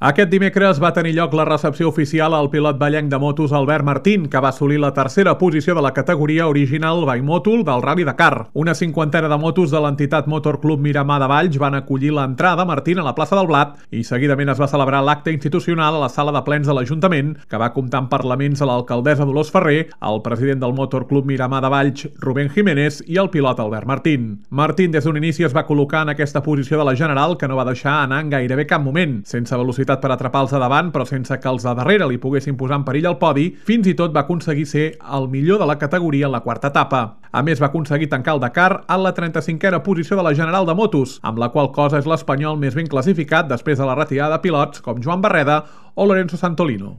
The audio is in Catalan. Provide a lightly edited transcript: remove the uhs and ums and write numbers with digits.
Aquest dimecres va tenir lloc la recepció oficial al pilot ballenc de motos Albert Martín, que va assolir la tercera posició de la categoria original Bimòtol del Rally Dakar. Una cinquantena de motos de l'entitat Motor Club Miramar de Valls van acollir l'entrada de Martín a la plaça del Blat i seguidament es va celebrar l'acte institucional a la sala de plens de l'Ajuntament, que va comptar amb parlaments a l'alcaldessa Dolors Ferrer, el president del Motor Club Miramar de Valls, Rubén Jiménez, i el pilot Albert Martín. Martín des d'un inici es va col·locar en aquesta posició de la general, que no va deixar anar en gairebé cap moment, sense velocitat per atrapar els de davant, però sense que els de darrere li poguessin posar en perill al podi. Fins i tot va aconseguir ser el millor de la categoria en la quarta etapa. A més, va aconseguir tancar el Dakar en la 35a posició de la general de motos, amb la qual cosa és l'espanyol més ben classificat després de la retirada de pilots com Joan Barreda o Lorenzo Santolino.